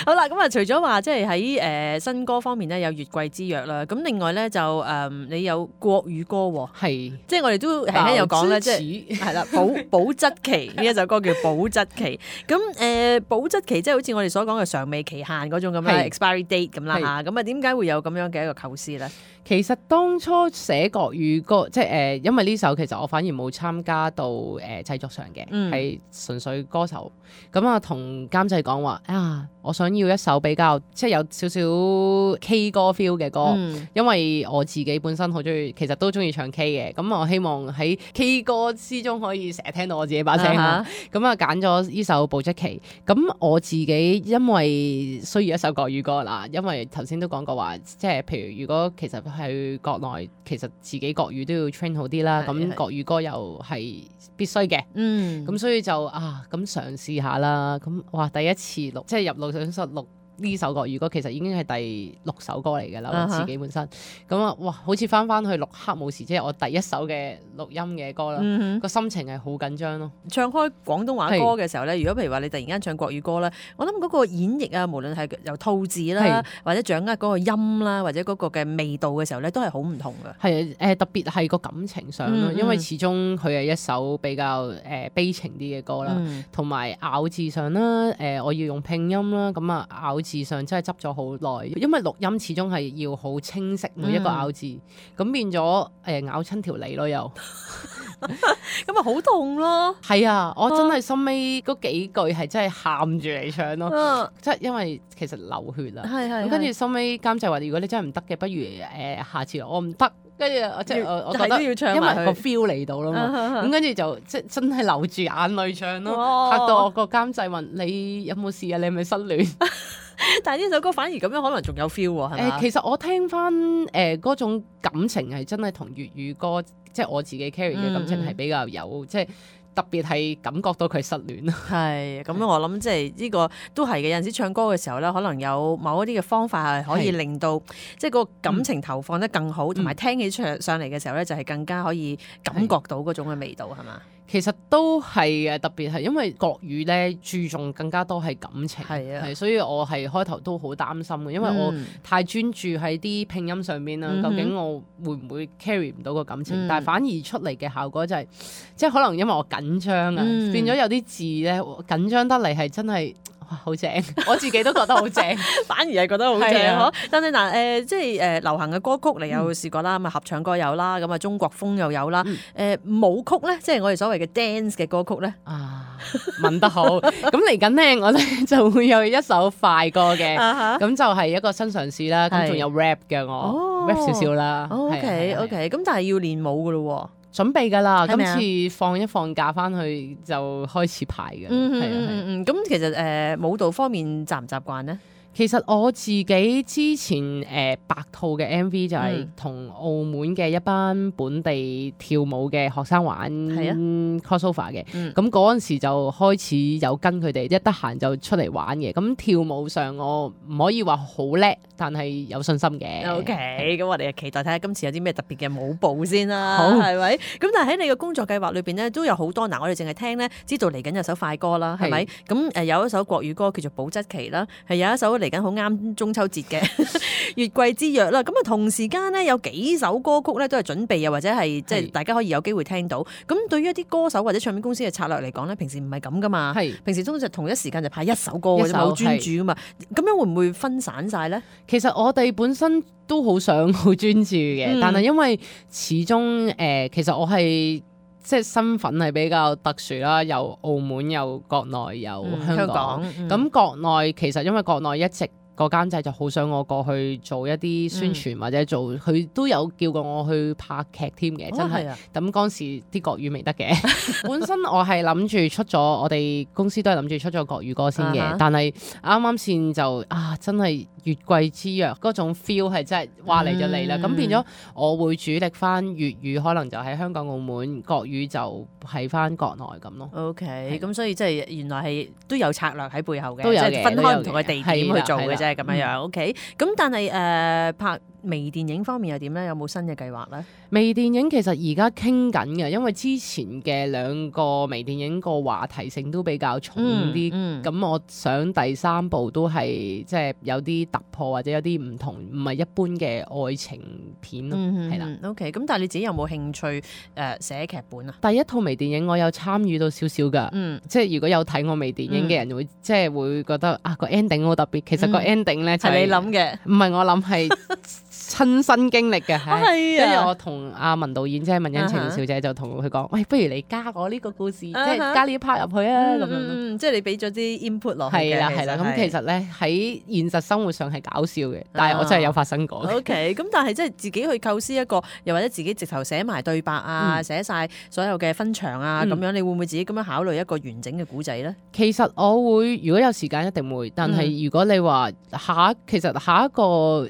好啦，咁啊，除咗話即係喺新歌方面咧有月桂之約啦，咁另外咧就你有國語歌喎，係即係我哋都輕輕有講咧，即係係啦，保質期呢一首歌叫保質期。咁保質期即係好似我哋所講嘅尚未期限嗰種咁啦，expiry date 咁啦嚇。咁啊點解會有咁樣嘅一個構思咧？其實當初寫國語歌，即係因為呢首其實我反而冇參加到製作上嘅，係純粹歌手。咁啊，同監製講話我想要一首比較即係有少少 K 歌 feel 嘅歌，因為我自己本身好中意，其實都中意唱 K 嘅。咁我希望喺 K 歌之中可以成日聽到我自己把聲啦。咁啊揀咗呢首保質期。咁我自己因為需要一首國語歌啦，因為頭先都講過話，即係譬如如果其實去國內，其實自己國語都要 train 好啲啦。咁國語歌又係必須嘅。咁所以就咁嘗試下啦。咁哇，第一次錄即係入錄音室錄呢首國語歌，其實已經係第6首歌嚟㗎啦。我自己本身咁哇，好似翻去錄黑武士，即係我第一首嘅錄音嘅歌啦。個心情係好緊張咯。唱開廣東話歌嘅時候咧，如果譬如話你突然間唱國語歌咧，我諗嗰個演繹啊，無論係由吐字啦，或者掌握嗰個音啦，或者嗰個嘅味道嘅時候咧，都係好唔同㗎。係特別係個感情上咯，因為始終佢係一首比較悲情啲嘅歌啦，同埋咬字上啦，我要用拼音啦，咁啊咬字上真係執咗好耐，因為錄音始終係要好清晰每一個咬字，咁變咗咬親條脷咯又，咁啊好痛咯。係啊，我真係心尾嗰幾句係真係喊住嚟唱咯，即係因為其實流血啦，咁跟住心尾監製話：如果你真係唔得嘅，不如下次我唔得。跟住即係我覺得，因為個 feel 嚟到啦嘛，咁跟住就即係真係流住眼淚唱咯，嚇到我個監製問你有冇事啊？你係咪失戀？但係呢首歌反而咁樣可能仲有 feel 喎，係咪？其實我聽翻嗰種感情係真係同粵語歌，即係我自己 carry 嘅感情係比較有即係。特別係感覺到佢失戀咯，係咁我諗即係呢個都係嘅。有陣時唱歌嘅時候咧，可能有某一啲嘅方法係可以令到即係個感情投放得更好，同埋聽起上嚟嘅時候咧，就係更加可以感覺到嗰種嘅味道，係嘛？其實都係嘅，特別係因為國語咧注重更加多係感情，係所以我係開頭都好擔心嘅，因為我太專注喺啲拼音上邊啦，究竟我會唔會 carry 唔到個感情？但係反而出嚟嘅效果就係，即係可能因為我緊張啊，變咗有啲字咧緊張得嚟係真係。好正，我自己都覺得好正，反而係覺得好正嗬。但係嗱即係流行嘅歌曲你有試過啦，咁啊合唱歌有啦，咁啊中國風又有啦。舞曲咧，即係我哋所謂嘅 dance 嘅歌曲咧。問得好。咁嚟緊咧，我哋就會有一首快歌嘅，咁就係一個新嘗試啦。咁仲有 rap 嘅我 rap 少少啦。OK，咁但係要練舞噶咯。準備㗎啦，今次放一放假翻去就開始排嘅。咁其實舞蹈方面習唔習慣呢？其實我自己之前白兔嘅 MV 就係同澳門嘅一班本地跳舞嘅學生玩 crossover 嘅，咁嗰陣時就開始有跟佢哋一得閒就出嚟玩嘅。咁跳舞上我唔可以話好叻，但係有信心嘅。OK，咁我哋期待睇下今次有啲咩特別嘅舞步先啦，係咪？咁但係喺你嘅工作計劃裏邊咧，都有好多嗱，我哋淨係聽咧，知道嚟緊有首快歌啦，係咪？咁有一首國語歌叫做《保質期》啦，係有一首嚟緊好啱中秋節嘅月桂之約啦。咁啊同時間咧有幾首歌曲咧都係準備啊，或者係即係大家可以有機會聽到。咁對於一啲歌手或者唱片公司嘅策略嚟講咧，平時唔係咁噶嘛。平時通常同一時間就派一首歌嘅啫，好專注噶嘛。咁樣會唔會分散晒咧？其實我哋本身都好想好專注嘅，但係因為始終其實我係即係身份係比較特殊啦，有澳門，有國內，有香港。咁國內其實因為國內一直個監製就好想我過去做一啲宣傳或者做，佢都有叫過我去拍劇添嘅，真係。咁嗰時啲國語未得嘅，本身我係諗住出咗，我哋公司都係諗住出咗國語歌先嘅，但係啱啱先就真係月桂之約嗰種 feel 係真係話嚟就嚟啦，咁變咗我會主力翻粵語，可能就喺香港澳門，國語就喺翻國內咁咯。OK，咁所以即係原來係都有策略喺背後嘅，都有嘅，即係分開唔同嘅地點去做嘅啫。咁樣樣 OK，咁但係拍微電影方面又點咧？有冇新嘅計劃咧？微電影其實而家傾緊嘅，因為之前嘅2個微電影個話題性都比較重啲，咁我想第3部都係即係有啲突破或者有啲唔同，唔係一般嘅愛情片咯，係啦。OK， 咁但係你自己有冇興趣寫劇本啊？第一套微電影我有參與到少少㗎，即係如果有睇我微電影嘅人會即係會覺得啊個 ending 好特別，其實個 ending 咧就係你諗嘅，唔係我諗係親身經歷嘅，係跟住我同阿文導演即係文欣晴小姐就同佢講，喂，不如你加我呢個故事，即係加呢 part 入去啊，咁樣即係你俾咗啲 input 落去嘅。係啦係啦，咁其實咧喺現實生活上係搞笑嘅，但係我真係有發生過。OK， 咁但係即係自己去構思一個，又或者自己直頭寫埋對白啊，寫晒所有嘅分場啊，咁樣你會唔會自己咁樣考慮一個完整嘅古仔咧？其實我會，如果有時間一定會，但係如果你話其實下一個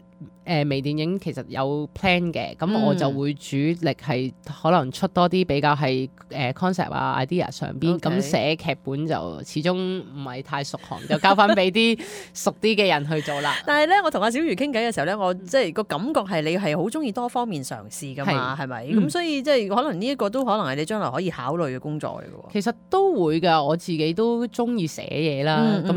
微電影其實有 plan 嘅，咁我就會主力係可能出多啲比較係concept 啊 idea 上邊，咁寫劇本就始終唔係太熟行，就交翻俾啲熟啲嘅人去做啦。但係咧，我同阿小瑜傾偈嘅時候咧，我即係個感覺係你係好中意多方面嘗試噶嘛，係咪？咁所以即係可能呢一個都可能係你將來可以考慮嘅工作嚟嘅喎。其實都會㗎，我自己都中意寫嘢啦。咁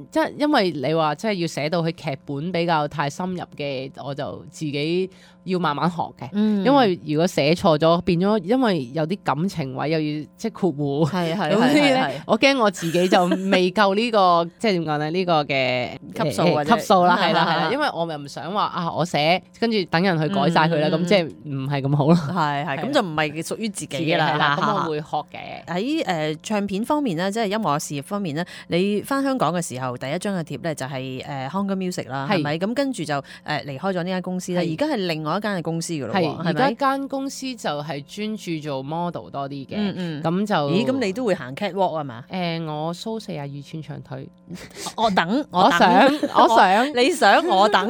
即係因為你話即係要寫到佢劇本比較太深入嘅。我就自己要慢慢學嘅，因為如果寫錯咗，變咗因為有啲感情位又要即係括弧，咁咧我驚我自己就未夠呢個即係點講咧？呢個嘅級數啦，係啦，因為我又唔想話啊，我寫跟住等人去改晒佢啦，咁即係唔係咁好咯。係咁就唔係屬於自己嘅啦。咁我會學嘅。喺唱片方面咧，即係音樂事業方面咧，你翻香港嘅時候，第一張嘅碟咧就係Hunger Music 啦，係咪？咁跟住就離開咗呢間公司咧，而家係另外一間嘅公司噶咯，係而家間公司就係專注做 model 多啲嘅，咁就咁你都會行 catwalk 啊嘛？我 show 42寸長腿，我想，你想我等，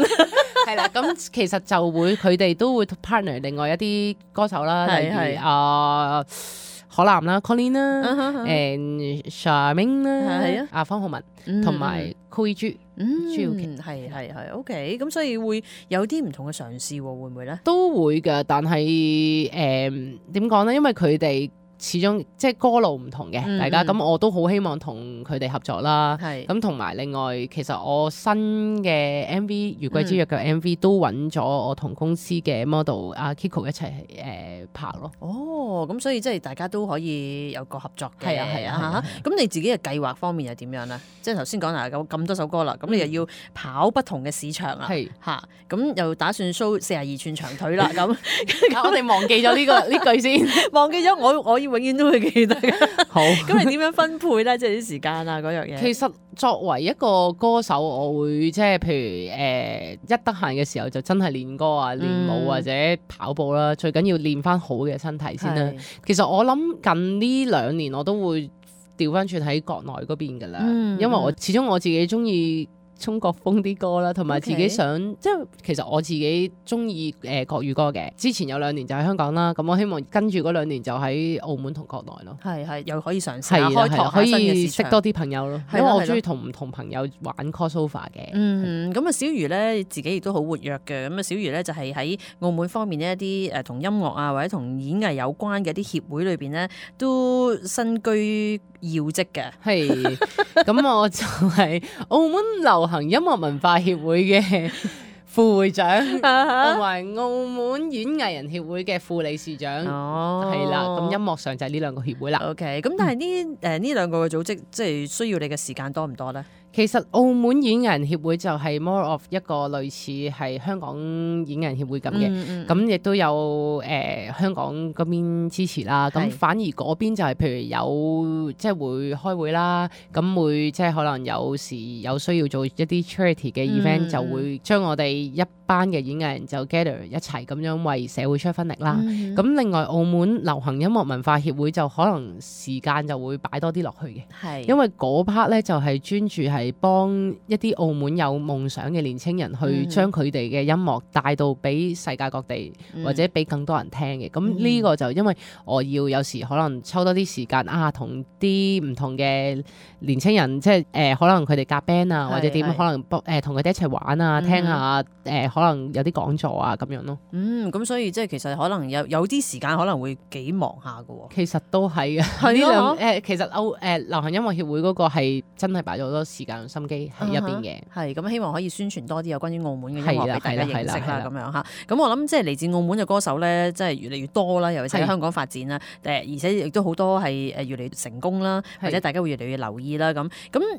係啦。咁其實就會佢哋都會 partner 另外一啲歌手啦，例如可南啦 Colin 啦Charmaine 啦，阿方浩文同埋 Cool 朱耀琪，係 OK。咁所以會有啲唔同嘅嘗試，會唔會咧？都會㗎，但係點講咧？因為佢哋始終即係歌路唔同嘅，大家咁我都好希望同佢哋合作啦。咁同埋另外，其實我新嘅 MV《月桂之約》嘅 MV 都揾咗我同公司嘅 model 阿 Kiko 一齊拍咯。哦，咁所以即係大家都可以有個合作嘅。係啊。咁你自己嘅計劃方面又點樣咧？即係頭先講啦，咁多首歌啦，咁你又要跑不同嘅市場啦。嚇，咁又打算 show 42寸長腿啦。咁我哋忘記咗呢句先，忘記咗我要。永遠都會記得嘅。好，咁你點樣分配咧？即係啲時間啊，嗰樣嘢。其實作為一個歌手，我會即係譬如一得閒嘅時候就真係練歌啊、練舞或者跑步啦。最緊要練翻好嘅身體先啦。其實我諗近呢2年我都會調翻轉喺國內嗰邊噶啦，因為我始終我自己中意中國風啲歌啦，同埋自己想即係其實我自己中意國語歌嘅。之前有2年就喺香港啦，咁我希望跟住嗰2年就喺澳門同國內咯。係又可以嘗試下開拓可以識多啲朋友咯。因為我中意同唔同朋友玩 crossover 嘅。咁啊小瑜咧自己亦都好活躍嘅。咁啊小瑜咧就係喺澳門方面呢一啲同音樂啊或者同演藝有關嘅一啲協會裏邊咧都身居要職嘅。係咁我就係澳門流行音樂文化協會嘅副會長，同埋澳門演藝人協會嘅副理事長，係啦。咁音樂上就係呢2個協會啦。OK， 咁但係呢2個嘅組織，即係需要你嘅時間多唔多咧？其實澳門演藝人協會就係 more of 一個類似係香港演藝人協會咁嘅，咁亦都有香港嗰邊支持啦。咁反而嗰邊就係譬如有即係會開會啦，咁會即係可能有時有需要做一啲 charity 嘅 event，就會將我哋一班嘅演藝人就 gather 一齊咁樣為社會出一分力啦。咁另外澳門流行音樂文化協會就可能時間就會擺多啲落去嘅，因為嗰 part 咧就係專注係係幫一啲澳門有夢想嘅年青人去將佢哋嘅音樂帶到俾世界各地，或者俾更多人聽嘅。咁呢個就因為我要有時可能抽多啲時間同啲唔同嘅年青人，即係可能佢哋夾 band 啊，或者點，可能同佢哋一齊玩啊，聽下可能有啲講座啊咁樣咯。咁所以即係其實可能有啲時間可能會幾忙下㗎喎。其實都係嘅，呢兩其實流行音樂協會嗰個係真係擺咗好多時間同心機喺入邊嘅。係咁希望可以宣傳多啲有關於澳門嘅音樂俾大家認識啦，咁樣嚇。咁我諗即係嚟自澳門嘅歌手咧，即係越嚟越多啦，尤其是喺香港發展啦。而且亦都好多係越嚟越成功啦，或者大家會越嚟越留意啦。咁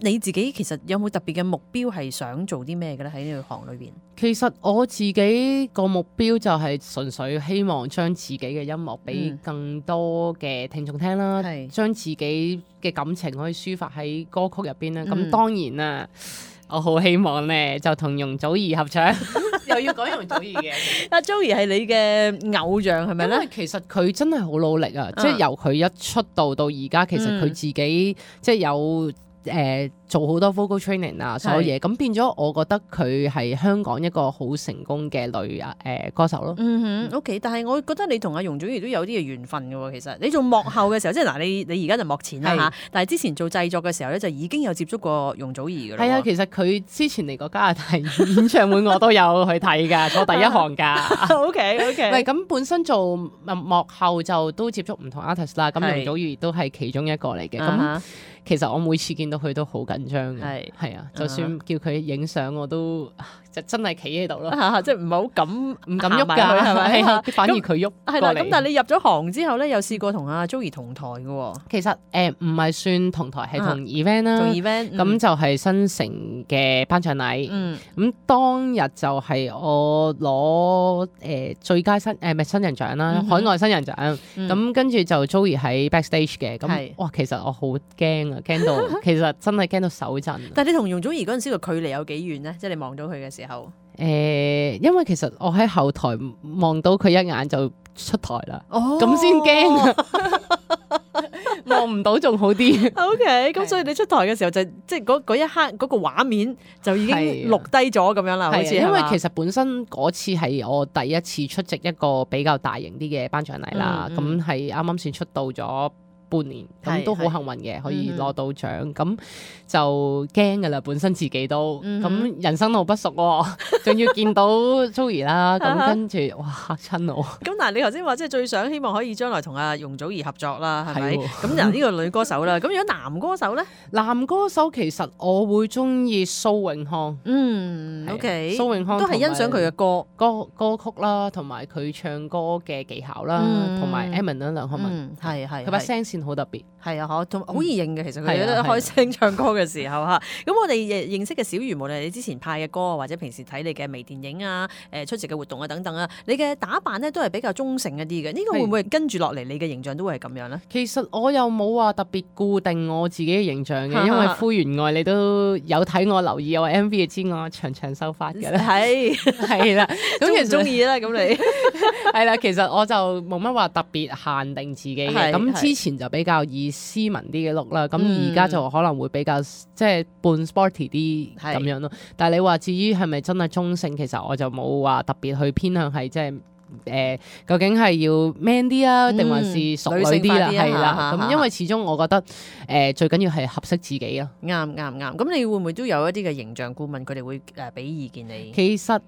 你自己其實有冇特別嘅目標係想做啲咩嘅咧？喺呢個行裏邊，其實我自己個目標就係純粹希望將自己嘅音樂俾更多嘅聽眾聽啦，將自己嘅感情可以抒發喺歌曲入邊啦。咁當然啦，我好希望咧就同容祖兒合唱，又要講容祖兒嘅。阿 Joey 係你嘅偶像係咪咧？因為其實佢真係好努力啊！即係由佢一出道到而家，其實佢自己即係有做好多 vocal training 啊，所有嘢咁變咗，我覺得佢係香港一個好成功嘅女歌手咯。OK， 但係我覺得你同阿容祖兒都有啲嘅緣分嘅喎。其實你做幕後嘅時候，即係嗱，你而家就幕前啦嚇，但係之前做製作嘅時候咧，就已經有接觸過容祖兒嘅啦。係啊，其實佢之前嚟過加拿大演唱會，我都有去睇㗎，坐第一行㗎。OK，唔係咁本身做幕後就都接觸唔同 artist 啦，咁容祖兒都係其中一個嚟嘅。咁其實我每次見到佢都好緊張嘅，係啊，就算叫佢影相我都就真係企喺度咯，即係唔係好敢喐㗎，係咪？反而佢喐過嚟。咁但係你入咗行之後咧，又試過同阿 Joey 同台嘅喎。其實唔係算同台，係同 event 啦。同 event 咁就係新城嘅頒獎禮。咁當日就係我攞最佳新人獎啦，海外新人獎。咁跟住就 Joey 喺 backstage 嘅。咁哇，其實我好驚啊！驚到其實真係驚到手震。但係你同容祖兒嗰陣時個距離有幾遠咧？即係你望到佢嘅時候。因為其實我喺後台望到佢一眼就出台啦，咁先驚。望唔到仲好啲。OK， 咁所以你出台嘅時候就即係嗰一刻嗰個畫面就已經錄低咗咁樣啦，好似因為其實本身嗰次係我第一次出席一個比較大型啲嘅頒獎禮啦，咁係啱啱先出道咗半年，咁都好幸運嘅，可以攞到獎，咁就驚噶啦，本身自己都咁人生路不熟喎，仲要見到 Joey 啦，咁跟住哇嚇親我。咁但係你頭先話即係最想希望可以將來同阿容祖兒合作啦，係咪？咁嗱呢個女歌手啦，咁如果男歌手咧？男歌手其實我會中意蘇永康。OK， 蘇永康都係欣賞佢嘅歌曲啦，同埋佢唱歌嘅技巧啦，同埋 Emin 啦，梁漢文，係佢把聲線好特別，係啊，同好易認嘅。其實佢哋開聲唱歌嘅時候嚇，咁我哋認識嘅小魚，無論你之前拍嘅歌或者平時睇你嘅微電影啊、出席嘅活動啊等等啊，你嘅打扮咧都係比較中性一啲嘅。呢個會唔會跟住落嚟你嘅形象都會係咁樣咧？其實我又冇話特別固定我自己嘅形象嘅，因為灰原愛你都有睇我留意我 MV 嘅知我長長秀髮嘅咧，係啦，咁其實中意啦，咁你係啦，其實我就冇乜話特別限定自己嘅，咁之前就比較以斯文啲嘅 look 啦，咁而家就可能會比較即係半 sporty 啲咁樣咯。但係你話至於係咪真係中性，其實我就冇話特別去偏向係即係究竟係要 man 啲啊，定還是熟女啲啦？係啦，咁因為始終我覺得最緊要係合適自己咯。啱。咁你會唔會都有一啲嘅形象顧問，佢哋會俾意見你？其實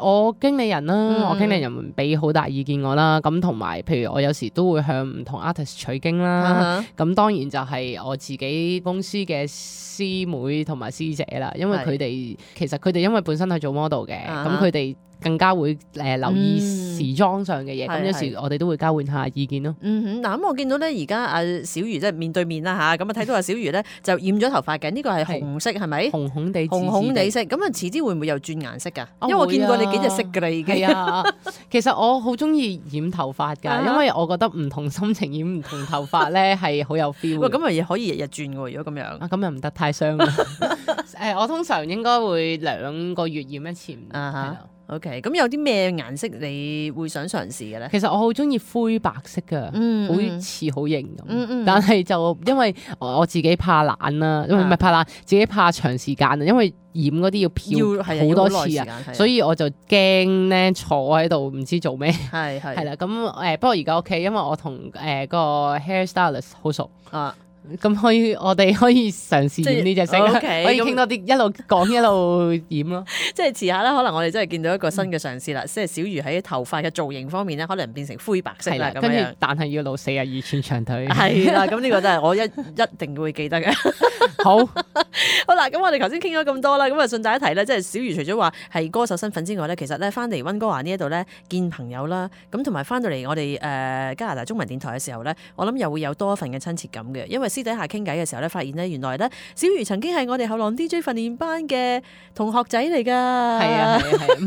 我經理人啦，我經理人俾好大意見我啦。咁同埋譬如我有時都會向唔同 artist 取經啦。咁當然就係我自己公司嘅師妹同埋師姐啦，因為佢哋其實佢哋因為本身係做 model 嘅，咁佢哋更加會留意時裝上嘅嘢，咁有時我哋都會交換下意見咯。嗱，咁我見到咧，而家阿小魚即係面對面啦嚇，咁啊睇到阿小魚咧就染咗頭髮嘅，呢個係紅色係咪？紅紅地，紅紅地色，咁啊遲啲會唔會又轉顏色㗎？因為我見過你幾隻色㗎啦已經。係啊，其實我好中意染頭髮㗎，因為我覺得唔同心情染唔同頭髮咧係好有 feel。咁啊可以日日轉喎，如果咁樣。咁又唔得太傷啦。我通常應該會2個月染一次。OK， 咁有啲咩顏色你會想嘗試嘅咧？其實我好中意灰白色㗎，好似好型咁。但係就因為我自己怕懶啦，因為唔係怕懶，自己怕長時間啊，因為染嗰啲要漂好多次啊，所以我就驚咧坐喺度唔知做咩。係啦，咁不過而家 OK，因為我同個 hair stylist 好熟啊。咁我哋可以嘗試染呢隻色，可以傾多啲，一路講一路染咯。即係遲下咧，可能我哋真係見到一個新嘅嘗試啦。即係小瑜喺頭髮嘅造型方面咧，可能變成灰白色啦。跟住，但係要露42寸長腿。係啦，咁呢個真係我一定會記得嘅。好啦，咁我哋頭先傾咗咁多啦，咁啊順帶一提咧，即係小瑜除咗話係歌手身份之外咧，其實咧翻嚟溫哥華呢一度咧見朋友啦，咁同埋翻到嚟我哋加拿大中文電台嘅時候咧，我諗又會有多一份嘅親切感嘅，因為私底下傾偈嘅時候咧，發現咧原來咧小瑜曾經係我哋後浪 DJ 訓練班嘅同學仔嚟㗎。係啊，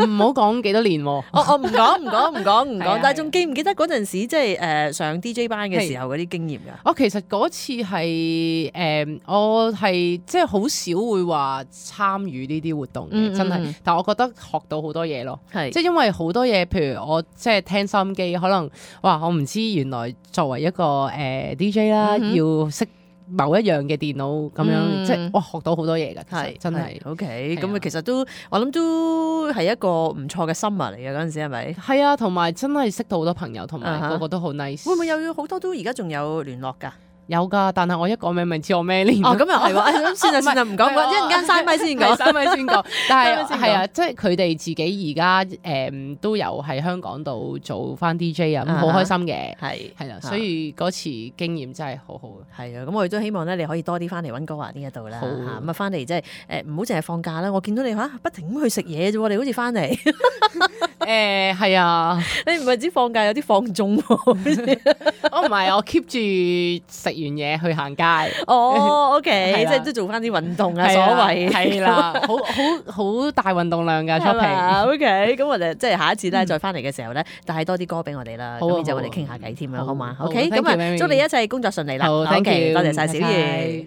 唔好講幾多年喎。我唔講，但係仲記唔記得嗰陣時即係上 DJ 班嘅時候嗰啲經驗㗎？我其實嗰次係我係即係好少會話參與呢啲活動嘅，真係。但係我覺得學到好多嘢咯，即係因為好多嘢，譬如我即係聽收音機，可能哇，我唔知原來作為一個DJ 啦，要識某一樣嘅電腦咁樣，即係哇學到好多嘢㗎，係真係。OK，咁其實都我諗都係一個唔錯嘅 summer 嚟嘅嗰陣時係咪？係啊，同埋真係識到好多朋友，同埋個個都好 nice。會唔會有好多都而家仲有聯絡㗎？有㗎，但係我一講名咪知我咩年。咁又係喎，算啦，唔講，一陣間嘥咪先講，嘥咪先講。但係係啊，即係佢哋自己而家都有喺香港度做翻 DJ 啊，咁好開心嘅。係啦，所以嗰次經驗真係好好。係啊，咁我哋都希望咧，你可以多啲翻嚟溫哥華呢一度啦。咁啊，翻嚟即係唔好淨係放假啦。我見到你不停咁去食嘢啫喎，你好似翻嚟。係啊，你唔係只放假有啲放縱喎。我唔係，我 keep 住食完嘢去行街。OK， 即係都做翻啲運動啊，所謂係啦，好大運動量㗎 shopping。OK， 咁我哋即係下一次咧再翻嚟嘅時候咧，帶多啲歌俾我哋啦，咁然之後我哋傾下偈添啦，好嘛？OK，咁啊，祝你一切工作順利啦。好，thank you，多謝晒小瑜。